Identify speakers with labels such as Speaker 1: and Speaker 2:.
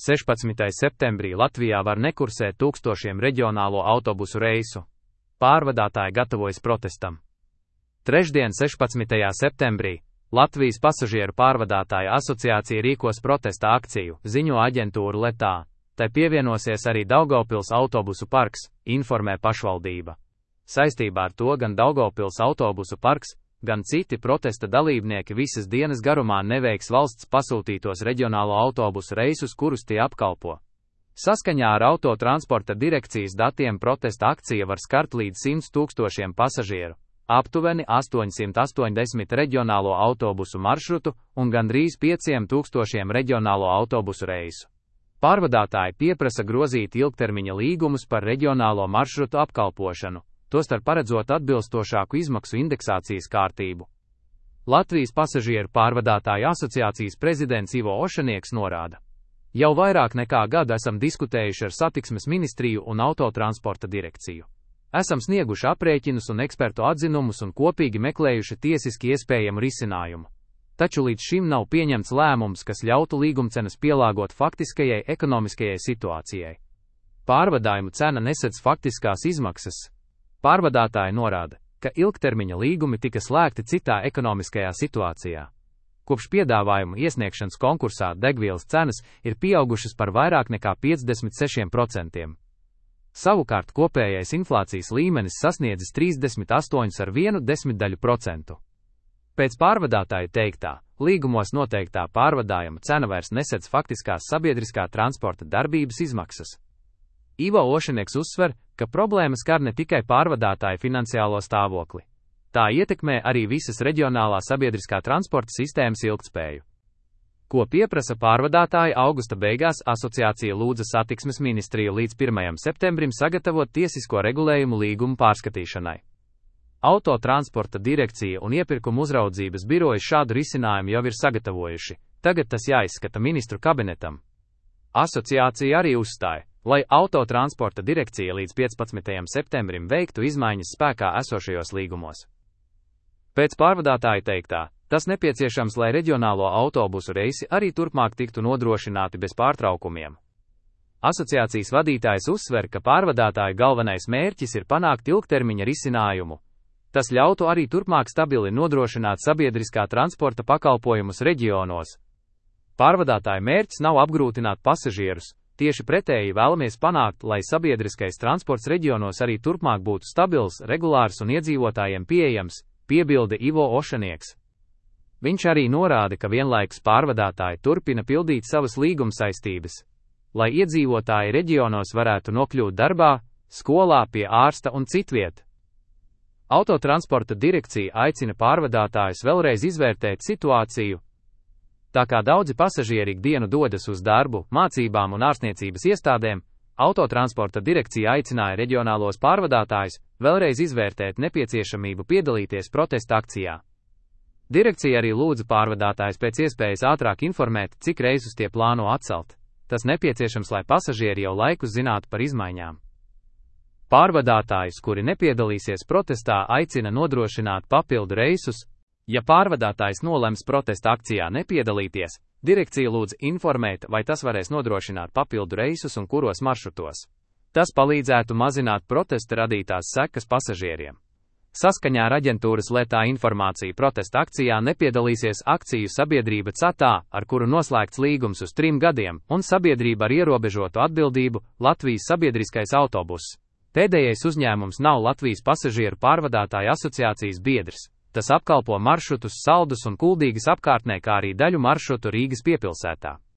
Speaker 1: 16. septembrī Latvijā var nekursēt tūkstošiem reģionālo autobusu reisu. Pārvadātāji gatavojas protestam. Trešdien, 16. septembrī, Latvijas pasažieru pārvadātāju asociācija rīkos protesta akciju, ziņo aģentūra Letā. Tai pievienosies arī Daugavpils autobusu parks, informē pašvaldība. Saistībā ar to gan Daugavpils autobusu parks, gan citi protesta dalībnieki visas dienas garumā neveiks valsts pasūtītos reģionālo autobusu reisus, kurus tie apkalpo. Saskaņā ar Autotransporta direkcijas datiem protesta akcija var skart līdz 100 000 pasažieru, aptuveni 880 reģionālo autobusu maršrutu un gandrīz 5000 reģionālo autobusu reisu. Pārvadātāji pieprasa grozīt ilgtermiņa līgumus par reģionālo maršrutu apkalpošanu, tostarp paredzot atbilstošāku izmaksu indeksācijas kārtību. Latvijas pasažieru pārvadātāju asociācijas prezidents Ivo Ošanieks norāda: Jau vairāk nekā gadu esam diskutējuši ar Satiksmes ministriju un Autotransporta direkciju. Esam snieguši aprēķinus un ekspertu atzinumus un kopīgi meklējuši tiesiski iespējamu risinājumu. Taču līdz šim nav pieņemts lēmums, kas ļautu līgumcenas pielāgot faktiskajai ekonomiskajai situācijai. Pārvadājumu cena nesedz faktiskās izmaksas. Pārvadātāji norāda, ka ilgtermiņa līgumi tika slēgti citā ekonomiskajā situācijā. Kopš piedāvājumu iesniegšanas konkursā degvielas cenas ir pieaugušas par vairāk nekā 56%. Savukārt kopējais inflācijas līmenis sasniedzis 38,1%. Pēc pārvadātāju teiktā, līgumos noteiktā pārvadājuma cena vairs nesedz faktiskās sabiedriskā transporta darbības izmaksas. Ivo Ošanieks uzsver, ka problēma skar ne tikai pārvadātāju finansiālo stāvokli. Tā ietekmē arī visas reģionālā sabiedriskā transporta sistēmas ilgtspēju. Ko pieprasa pārvadātāji augusta beigās, asociācija lūdza Satiksmes ministriju līdz 1. septembrim sagatavot tiesisko regulējumu līgumu pārskatīšanai. Autotransporta direkcija un iepirkuma uzraudzības birojas šādu risinājumu jau ir sagatavojuši, tagad tas jāizskata ministru kabinetam. Asociācija arī uzstāja, lai Autotransporta direkcija līdz 15. septembrim veiktu izmaiņas spēkā esošajos līgumos. Pēc pārvadātāja teiktā, tas nepieciešams, lai reģionālo autobusu reisi arī turpmāk tiktu nodrošināti bez pārtraukumiem. Asociācijas vadītājs uzsver, ka pārvadātāju galvenais mērķis ir panākt ilgtermiņa risinājumu. Tas ļautu arī turpmāk stabili nodrošināt sabiedriskā transporta pakalpojumus reģionos. Pārvadātāju mērķis nav apgrūtināt pasažierus, tieši pretēji vēlamies panākt, lai sabiedriskais transports reģionos arī turpmāk būtu stabils, regulārs un iedzīvotājiem pieejams, piebilda Ivo Ošanieks. Viņš arī norāda, ka vienlaikus pārvadātāji turpina pildīt savas līguma saistības, lai iedzīvotāji reģionos varētu nokļūt darbā, skolā, pie ārsta un citviet. Autotransporta direkcija aicina pārvadātājus vēlreiz izvērtēt situāciju. Tā kā daudzi pasažieri ikdienu dodas uz darbu, mācībām un ārstniecības iestādēm, Autotransporta direkcija aicināja reģionālos pārvadātājus vēlreiz izvērtēt nepieciešamību piedalīties protesta akcijā. Direkcija arī lūdza pārvadātājus pēc iespējas ātrāk informēt, cik reisus tie plāno atcelt. Tas nepieciešams, lai pasažieri jau laikus zinātu par izmaiņām. Pārvadātājus, kuri nepiedalīsies protestā, aicina nodrošināt papildu reisus. Ja pārvadātājs nolems protesta akcijā nepiedalīties, direkcija lūdz informēt, vai tas varēs nodrošināt papildu reisus un kuros maršrutos. Tas palīdzētu mazināt protesta radītās sekas pasažieriem. Saskaņā ar aģentūras Letā informāciju protesta akcijā nepiedalīsies akciju sabiedrība CATā, ar kuru noslēgts līgums uz 3 gadiem, un sabiedrība ar ierobežotu atbildību Latvijas sabiedriskais autobuss. Pēdējais uzņēmums nav Latvijas pasažieru pārvadātāju asociācijas biedrs. Tas apkalpo maršrutus Saldus un Kuldīgas apkārtnē, kā arī daļu maršrutu Rīgas piepilsētā.